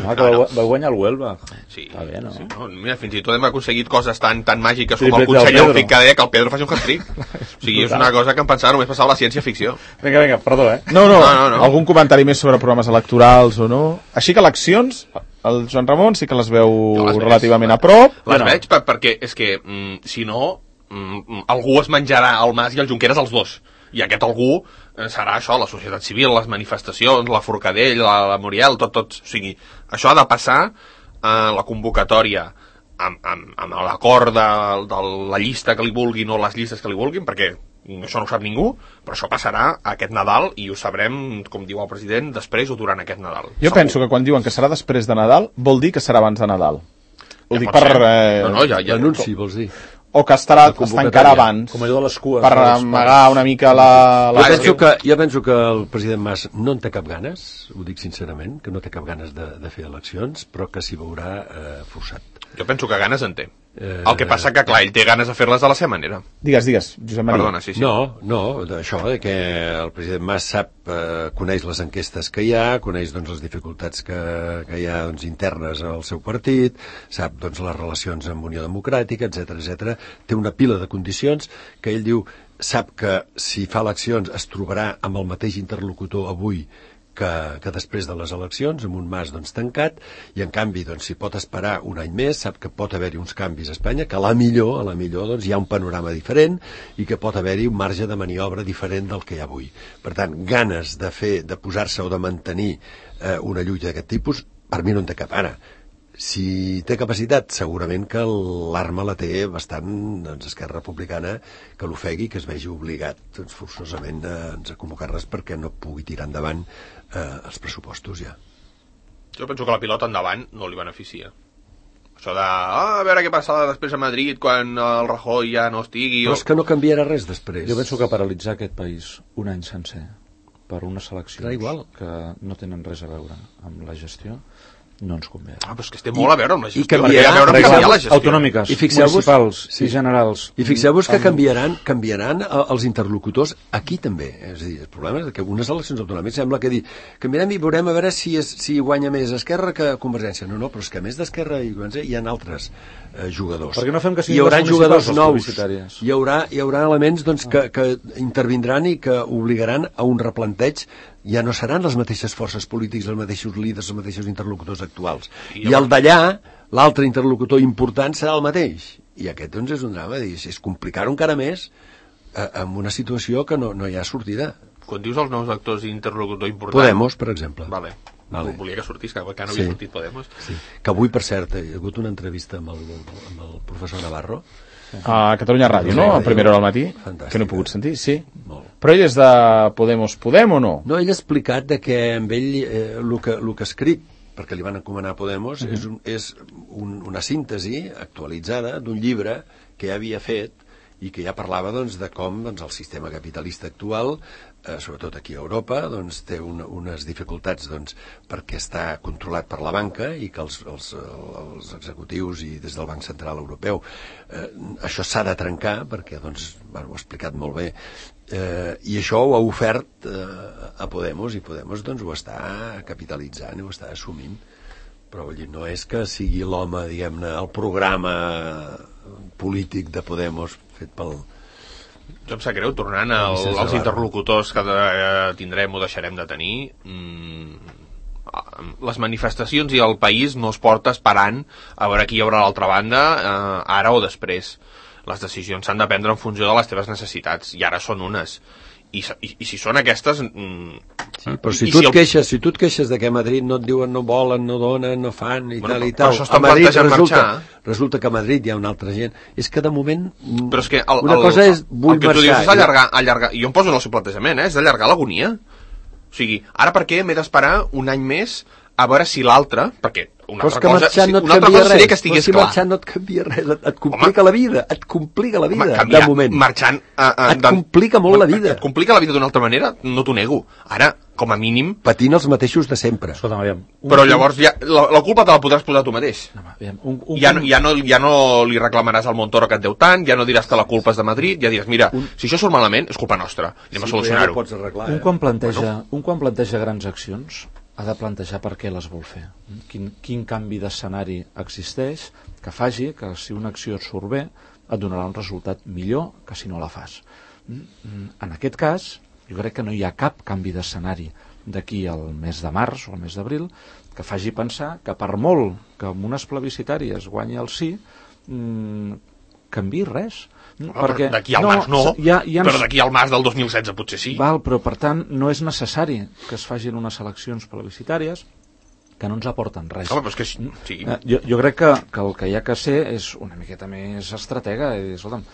No, que va, va guanyar el Huelva. Sí. Està bé, no? Sí, no? Mira, fins i tot hem aconseguit coses tan, tan màgiques com el conseller Eufric que deia que el Pedro faci un hat-trick. O sigui, és una cosa que em pensava només passava a la ciència-ficció. Vinga, vinga, perdó, eh? No, no, no, no, no. Algun comentari més sobre programes electorals o no? Així que eleccions, el Joan Ramon sí que les veu no, les relativament a prop. Les no. veig per, perquè és que, mm, si no, mm, algú es menjarà el Mas i el Junqueras els dos. I aquest algú serà això, la societat civil, les manifestacions, la Forcadell, la, la Muriel, tot, tot. O sigui, això ha de passar a la convocatòria amb, amb, amb l'acord de, de la llista que li vulguin o les llistes que li vulguin, perquè això no ho sap ningú, però això passarà aquest Nadal i ho sabrem, com diu el president, després o durant aquest Nadal. Jo Segur. penso que quan diuen que serà després de Nadal, vol dir que serà abans de Nadal. Ho ja dic per... Eh... No, no, ja, ja, l'anunci, vols dir? o que estarà, es tancarà abans? Com allò de les cues. Per amagar una mica la... la... Jo, penso que, jo penso que el president Mas no en té cap ganes, ho dic sincerament, que no té cap ganes de, de fer eleccions, però que s'hi veurà eh, forçat. Jo penso que ganes en té. Eh, el que passa que, clar, ell té ganes de fer-les de la seva manera. Digues, digues, Josep Maria. Perdona, sí, sí. No, no, això, de que el president Mas sap, eh, coneix les enquestes que hi ha, coneix doncs, les dificultats que, que hi ha doncs, internes al seu partit, sap doncs, les relacions amb Unió Democràtica, etcètera, etcètera. Té una pila de condicions que ell diu, sap que si fa eleccions es trobarà amb el mateix interlocutor avui que, que després de les eleccions, amb un Mas doncs, tancat, i en canvi, doncs, si pot esperar un any més, sap que pot haver-hi uns canvis a Espanya, que a la millor, a la millor doncs, hi ha un panorama diferent i que pot haver-hi un marge de maniobra diferent del que hi ha avui. Per tant, ganes de fer, de posar-se o de mantenir eh, una lluita d'aquest tipus, per mi no en té cap. Ara, si té capacitat, segurament que l'arma la té bastant doncs, Esquerra Republicana, que l'ofegui, que es vegi obligat doncs, forçosament a, doncs, a convocar-les perquè no pugui tirar endavant eh, els pressupostos ja. Jo penso que la pilota endavant no li beneficia. Això de, ah, a veure què passarà després a Madrid quan el Rajoy ja no estigui... Però o... és que no canviarà res després. Jo penso que paralitzar aquest país un any sencer per unes eleccions que no tenen res a veure amb la gestió no ens convé. Ah, però és que té molt a veure amb la gestió. I canviarà, a veure amb canviar la gestió. Autonòmiques, I municipals sí. i generals. I fixeu-vos que canviaran, canviaran els interlocutors aquí també. És a dir, el problema és que unes eleccions autonòmiques sembla que dir, canviarem i veurem a veure si, és, si guanya més Esquerra que Convergència. No, no, però és que a més d'Esquerra i Convergència hi ha altres eh, jugadors. Perquè no fem que hi haurà jugadors nous. Hi haurà, hi haurà elements doncs, que, que intervindran i que obligaran a un replanteig. Ja no seran les mateixes forces polítiques, els mateixos líders, els mateixos interlocutors actuals. I, I el d'allà, l'altre interlocutor important serà el mateix. I aquest, doncs, és un drama. És complicar-ho encara més eh, amb una situació que no, no hi ha sortida. Quan dius els nous actors d'interlocutor important... Podemos, per exemple. Vale. Vale. Volia que sortís, que encara no havia sí. sortit Podemos. Sí. Que avui, per cert, hi ha hagut una entrevista amb el, amb el professor Navarro, a Catalunya Ràdio, no? A primera hora del matí. Fantàstic. Que no he pogut sentir, sí. Molt. Però ell és de Podemos Podem o no? No, ell ha explicat de que amb ell eh, el que, el que ha escrit, perquè li van encomanar a Podemos, uh-huh. és, un, és un, una síntesi actualitzada d'un llibre que ja havia fet i que ja parlava doncs, de com doncs, el sistema capitalista actual, eh, sobretot aquí a Europa, doncs, té una, unes dificultats doncs, perquè està controlat per la banca i que els, els, els executius i des del Banc Central Europeu eh, això s'ha de trencar perquè doncs, bueno, ho ha explicat molt bé eh, i això ho ha ofert eh, a Podemos i Podemos doncs, ho està capitalitzant i ho està assumint, però vull dir, no és que sigui l'home, diguem-ne, el programa polític de Podemos fet pel... Jo em sap greu, tornant al, als interlocutors que de, eh, tindrem o deixarem de tenir, mmm, les manifestacions i el país no es porta esperant a veure qui hi haurà a l'altra banda, eh, ara o després. Les decisions s'han de prendre en funció de les teves necessitats, i ara són unes. I, i, i si són aquestes... Mm, sí, però si tu, si, et queixes, si tu et queixes de que a Madrid no et diuen, no volen, no donen, no fan i bueno, tal i tal, a Madrid resulta, resulta que a Madrid hi ha una altra gent. És que de moment però és que el, una el, cosa és vull el que marxar, tu dius és allargar, allargar, jo em poso en el seu plantejament, eh, és allargar l'agonia. O sigui, ara per què m'he d'esperar un any més a veure si l'altre, perquè una altra cosa, si, no una altra cosa seria que estigués si clar. Marxant no et canvia res, et, et complica home, la vida, et complica la vida, home, canviar, de moment. Marxant, uh, uh, et complica molt la vida. Et complica la vida d'una altra manera, no t'ho nego. Ara, com a mínim... Patint els mateixos de sempre. Escolta, aviam, un, però llavors ja, la, la culpa te la podràs posar tu mateix. No, aviam, un, un, ja, no, ja, no, ja no li reclamaràs al Montoro que et deu tant, ja no diràs que la culpa és de Madrid, ja diràs, mira, un, si això surt malament, és culpa nostra, anem sí, a solucionar-ho. Ja no arreglar, un, eh? quan planteja, bueno. un quan planteja grans accions, ha de plantejar per què les vol fer. Quin, quin canvi d'escenari existeix que faci que si una acció et surt bé et donarà un resultat millor que si no la fas. En aquest cas, jo crec que no hi ha cap canvi d'escenari d'aquí al mes de març o al mes d'abril que faci pensar que per molt que amb unes plebiscitàries guanyi el sí, mmm, canvi res. No, perquè d'aquí al no, març no, ja, ja però d'aquí al març del dos mil setze potser sí. Val, però per tant no és necessari que es facin unes eleccions plebiscitàries que no ens aporten res. Home, però és que sí. eh, jo, jo crec que, que el que hi ha que ser és una miqueta més estratega i dir, escolta'm,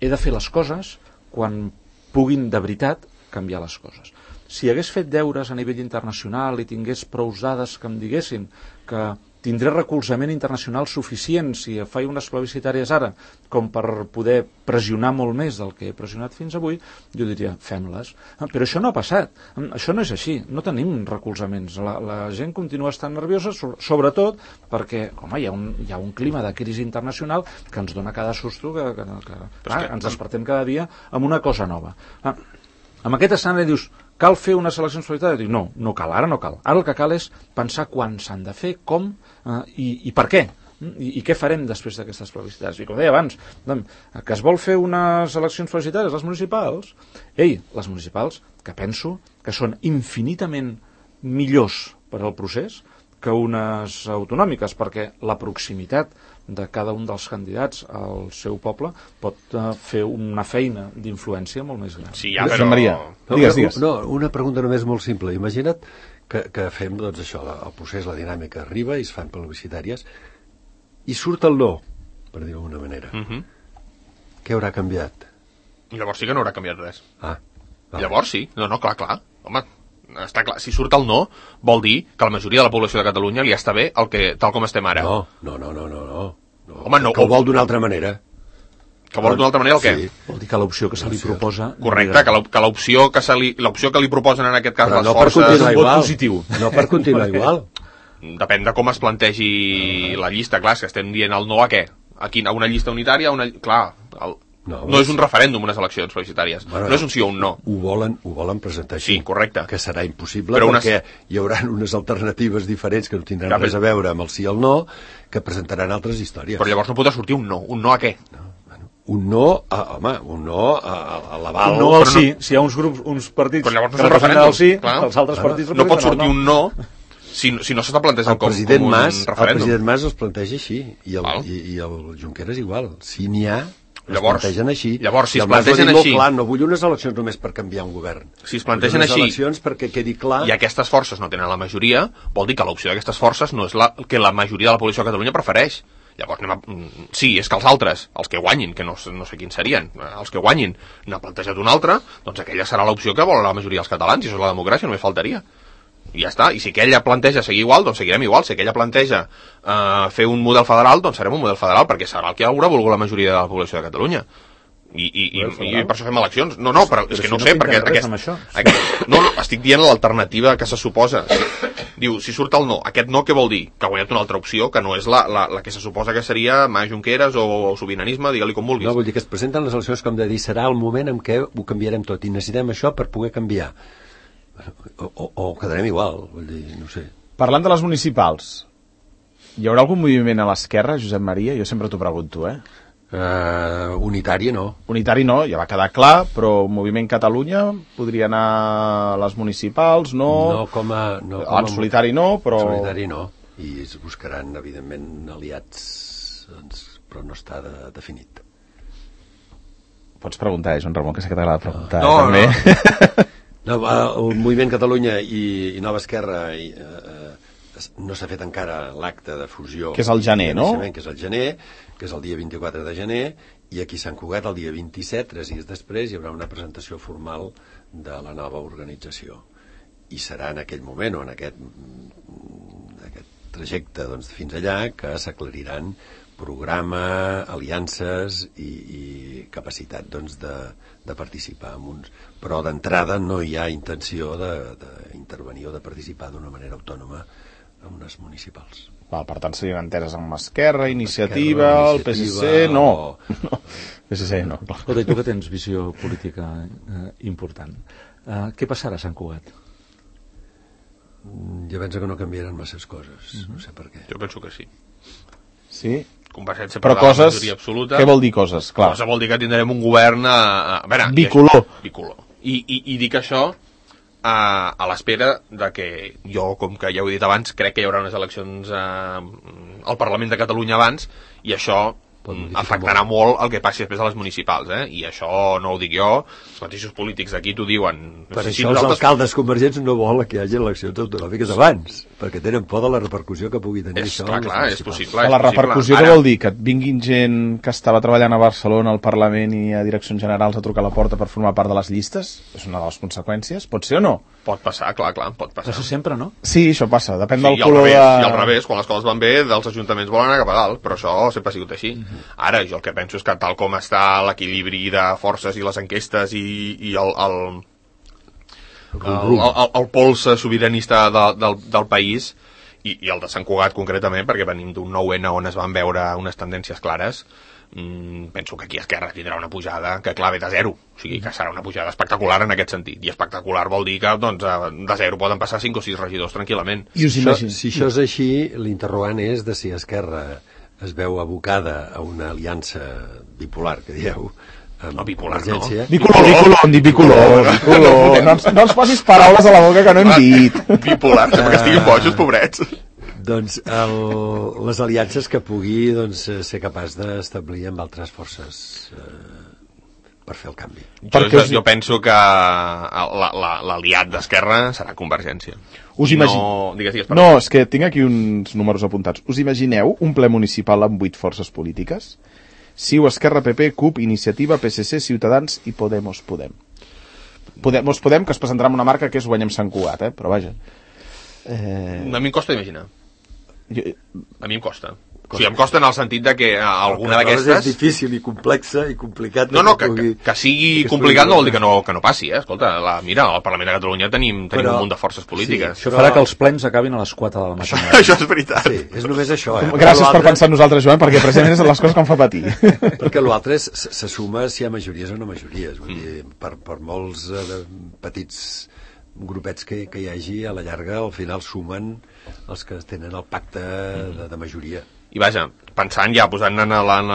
he de fer les coses quan puguin de veritat canviar les coses. Si hagués fet deures a nivell internacional i tingués prou dades que em diguessin que tindré recolzament internacional suficient si faig unes plebiscitàries ara com per poder pressionar molt més del que he pressionat fins avui, jo diria, fem-les. Però això no ha passat. Això no és així. No tenim recolzaments. La, la gent continua estant nerviosa, sobretot perquè, home, hi ha un, hi ha un clima de crisi internacional que ens dona cada susto, que, que, que, clar, que ens despertem cada dia amb una cosa nova. Ah, amb aquest escenari dius, cal fer unes eleccions plebiscitàries? Dic, no, no cal, ara no cal. Ara el que cal és pensar quan s'han de fer, com eh, i, i per què. I, i què farem després d'aquestes plebiscitàries? I com deia abans, que es vol fer unes eleccions plebiscitàries, les municipals, ei, les municipals, que penso que són infinitament millors per al procés que unes autonòmiques, perquè la proximitat de cada un dels candidats al seu poble pot uh, fer una feina d'influència molt més gran. Sí, ja, però... Maria, digues, digues. No, una pregunta només molt simple. Imagina't que, que fem, doncs, això, el procés, la dinàmica arriba i es fan plebiscitàries i surt el no, per dir-ho d'alguna manera. Uh -huh. Què haurà canviat? Llavors sí que no haurà canviat res. Ah, vale. Llavors sí. No, no, clar, clar. Home, està clar. Si surt el no, vol dir que la majoria de la població de Catalunya li està bé el que, tal com estem ara. No, no, no, no, no. no. Home, no. Que ho vol d'una altra manera. Que vol d'una altra manera el què? Sí. Vol dir que l'opció que se li proposa... Correcte, que, la, que l'opció que, se li, l'opció que li proposen en aquest cas Però les no per forces... continuar igual. positiu. No per continuar igual. Depèn de com es plantegi la llista, clar, que estem dient el no a què? A, quin, a una llista unitària? A una... Clar, el... no, no és un referèndum unes eleccions plebiscitàries, bueno, no és un sí o un no. Ho volen, ho volen presentar així. Sí, correcte. Que serà impossible però perquè unes... hi haurà unes alternatives diferents que no tindran ja, res a veure amb el sí i el no, que presentaran altres històries. Però llavors no podrà sortir un no. Un no a què? No, bueno, un no, a, home, un no a, a l'aval. Un no al sí. No... Si hi ha uns grups, uns partits però llavors no que representen el sí, clar. Els altres clar. partits no pot sortir el no. un no si, si no s'està plantejant com, com un Mas, referèndum. El president Mas els planteja així, i el, i, i el Junqueras igual. Si n'hi ha, llavors, es plantegen així. Llavors, si es plantegen així... Clar, no vull unes eleccions només per canviar un govern. Si es plantegen unes així... eleccions perquè quedi clar... I aquestes forces no tenen la majoria, vol dir que l'opció d'aquestes forces no és la que la majoria de la població de Catalunya prefereix. Llavors, anem a... sí, és que els altres, els que guanyin, que no, no sé quins serien, els que guanyin, n'ha plantejat una altra, doncs aquella serà l'opció que vol la majoria dels catalans, i això és la democràcia, només faltaria. I ja està, i si aquella planteja seguir igual, doncs seguirem igual. Si aquella planteja uh, fer un model federal, doncs serem un model federal, perquè serà el que haurà volgut la majoria de la població de Catalunya. I, i, i, i per això fem eleccions. No, no, però, però és que si no, no sé, perquè aquest, aquest, no, no, estic dient l'alternativa que se suposa. Diu, si surt el no, aquest no què vol dir? Que ha guanyat una altra opció, que no és la, la, la que se suposa que seria Mas Junqueras o, o sobiranisme, digue-li com vulguis. No, vull dir que es presenten les eleccions com de dir serà el moment en què ho canviarem tot i necessitem això per poder canviar. O, o, o quedarem igual, vull dir, no sé. Parlant de les municipals, hi haurà algun moviment a l'esquerra, Josep Maria? Jo sempre t'ho pregunto, eh? Uh, unitari no. Unitari no, ja va quedar clar, però Moviment Catalunya podria anar a les municipals, no... No com a... No com en solitari no, però... En solitari no, i es buscaran, evidentment, aliats, doncs, però no està de, definit. Pots preguntar, eh, Joan Ramon, que sé que t'agrada preguntar, no, eh, també. No. No, el Moviment Catalunya i, i Nova Esquerra i, eh, no s'ha fet encara l'acte de fusió. Que és el gener, no? Que és el gener, que és el dia vint-i-quatre de gener, i aquí a Sant Cugat el dia vint-i-set, tres dies després, hi haurà una presentació formal de la nova organització. I serà en aquell moment, o en aquest, aquest trajecte doncs, fins allà, que s'aclariran programa, aliances i, i capacitat doncs, de, de participar en uns... Però d'entrada no hi ha intenció d'intervenir o de participar d'una manera autònoma en unes municipals. Val, per tant, serien enteres amb Esquerra, Iniciativa, Esquerra, el P S C... No, o... no. P S C no. Escolta, tu que tens visió política eh, important, eh, què passarà a Sant Cugat? Jo penso que no canviaran masses coses, mm-hmm. no sé per què. Jo penso que sí. Sí? Convergència però per coses, la majoria absoluta. Què vol dir coses? Clar. Cosa vol dir que tindrem un govern a, a, a veure, bicolor. I, bicolor. I, i, i dic això a, a l'espera de que jo, com que ja ho he dit abans, crec que hi haurà unes eleccions a, al Parlament de Catalunya abans, i això afectarà molt el que passi després a les municipals, eh? I això no ho dic jo, els mateixos polítics d'aquí t'ho diuen. Per si això nosaltres... els alcaldes convergents no volen que hi hagi eleccions autonòmiques abans, perquè tenen por de la repercussió que pugui tenir és, això. Clar, clar, és possible. La repercussió que vol dir? Que et vinguin gent que estava treballant a Barcelona, al Parlament i a direccions generals a trucar a la porta per formar part de les llistes? És una de les conseqüències? Pot ser o no? Pot passar, clar, clar, pot passar. Passa sempre, no? Sí, això passa, depèn Sí, del i al color revés, de... i al revés, quan les coses van bé, dels ajuntaments volen anar cap a dalt, però això sempre ha sigut així. Uh-huh. Ara, jo el que penso és que tal com està l'equilibri de forces i les enquestes i, i el, el, el, el, el, el pols sobiranista de, del, del país, i, i el de Sant Cugat concretament, perquè venim d'un nou ene on es van veure unes tendències clares, Mm, penso que aquí Esquerra tindrà una pujada que clar ve de zero, o sigui que serà una pujada espectacular en aquest sentit, i espectacular vol dir que doncs, de zero poden passar cinc o sis regidors tranquil·lament. I us imagino. Si això és així, l'interrogant és de si Esquerra es veu abocada a una aliança bipolar, que dieu, no, bipolar no. Bicolor, bicolor, hem dit bicolor, bicolor. No, ens, no ens posis paraules a la boca que no hem dit. Bipolar, sembla que estiguin bojos, pobrets. Doncs el, les aliances que pugui doncs, ser capaç d'establir amb altres forces eh, per fer el canvi. Jo, jo, jo penso que l'aliat d'Esquerra serà Convergència. Us imagine... no, digues, digues, no, és que tinc aquí uns números apuntats. Us imagineu un ple municipal amb vuit forces polítiques? C I U, Esquerra, P P, C U P, Iniciativa, P S C, Ciutadans i Podemos Podem. Podemos Podem, que es presentarà amb una marca que és Guanyem Sant Cugat, eh? Però vaja. Eh... A mi em costa imaginar. Jo... A mi em costa. O sigui, em costa en el sentit de que alguna d'aquestes... És difícil i complexa i complicat. No, no, que, que, que sigui que complicat no vol dir que no, que no passi, eh? Escolta, la, mira, al Parlament de Catalunya tenim, tenim però, un munt de forces polítiques. Sí, això farà que els plens acabin a les quatre de la matinada. Això, això és veritat. Sí, és només això, eh? Gràcies per pensar en nosaltres, Joan, perquè precisament és les coses que em fa patir. Perquè l'altre se suma si hi ha majories o no majories. Vull dir, per, per molts eh, petits grupets que, que hi hagi, a la llarga, al final sumen els que tenen el pacte de, de majoria. I vaja, pensant ja, posant en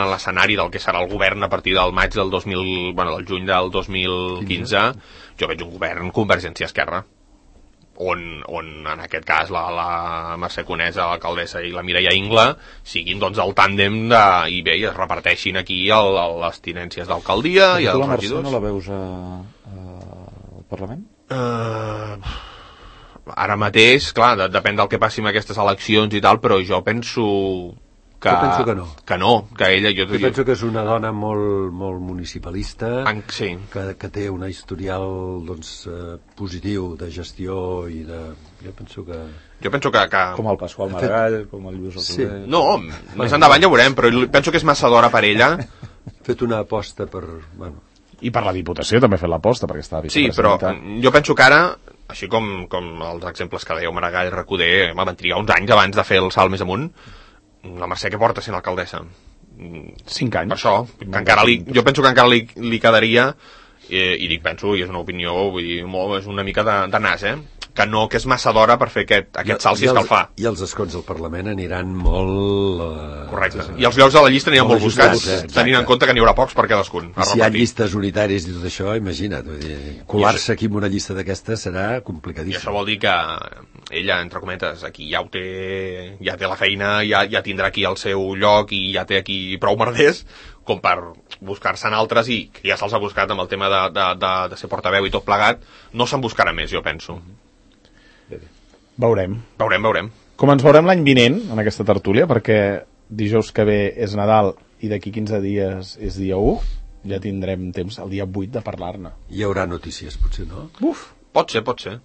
l'escenari del que serà el govern a partir del maig del dos mil, bueno, del juny del dos mil quinze, jo veig un govern Convergència-Esquerra, on, on en aquest cas la, la Mercè Conesa, l'alcaldessa, i la Mireia Ingla siguin doncs el tàndem de, i bé, i es reparteixin aquí el, el, les tinències d'alcaldia i els regidors. regidors. La Mercè no la veus a, a, al Parlament? Uh, ara mateix, clar, de, depèn del que passi amb aquestes eleccions i tal, però jo penso que, jo penso que no. Que no, que ella... Jo, jo penso que és una dona molt, molt municipalista, en, sí. que, que té un historial doncs, eh, positiu de gestió i de... Jo penso que... Jo penso que... que... Com el Pasqual Maragall, fet... com el Lluís Alcover... Sí. No, més endavant ja ho veurem, però penso que és massa d'hora per ella. Ha fet una aposta per... Bueno, i per la Diputació també ha fet l'aposta, perquè estava sí, però jo penso que ara, així com, com els exemples que dèieu Maragall, Recoder, van trigar uns anys abans de fer el salt més amunt, la Mercè que porta sent alcaldessa? Cinc anys. Per això, que encara li, jo penso que encara li, li quedaria, eh, i dic penso, i és una opinió, vull dir, molt, és una mica de, de nas, eh? Que no, que és massa d'hora per fer aquest, aquest salt si és que el fa. I els escons del Parlament aniran molt... Uh, Correcte. I els llocs de la llista aniran molt buscats, eh, tenint en compte que n'hi haurà pocs per cadascun. I si hi ha llistes unitàries i tot això, imagina't, vull dir, colar-se aquí en una llista d'aquestes serà complicadíssim. I això vol dir que ella, entre cometes, aquí ja ho té, ja té la feina, ja, ja tindrà aquí el seu lloc i ja té aquí prou merders, com per buscar-se'n altres, i que ja se'ls ha buscat amb el tema de, de, de, de ser portaveu i tot plegat, no se'n buscarà més, jo penso. Veurem. Veurem, veurem. Com ens veurem l'any vinent, en aquesta tertúlia, perquè dijous que ve és Nadal i d'aquí quinze dies és dia u, ja tindrem temps el dia vuit de parlar-ne. Hi haurà notícies, potser, no? Uf! Pot ser, pot ser.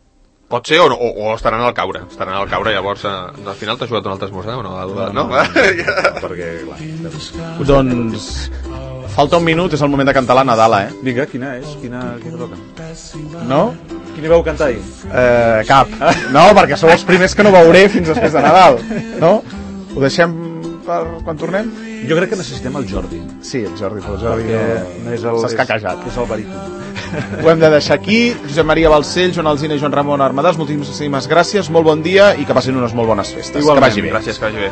Pot ser o, o, o estaran al caure. Estaran al caure, llavors, eh, al final t'ha jugat un altre esmorzar o no? No, no, no, no, no perquè, clar. Doncs... Falta un minut, és el moment de cantar la Nadala, eh? Vinga, quina és? Quina, quina toca? No? Quina veu cantar ahir? Eh, cap. No, perquè sou els primers que no veuré fins després de Nadal. No? Ho deixem per quan tornem? Jo crec que necessitem el Jordi. Sí, el Jordi, però el Jordi no és el, s'ha escaquejat. És el baríton. Ho hem de deixar aquí. Josep Maria Balcells, Joan Alsina i Joan Ramon Armadàs, moltíssimes gràcies, molt bon dia i que passin unes molt bones festes. Igualment, que vagi bé. Gràcies, que vagi bé.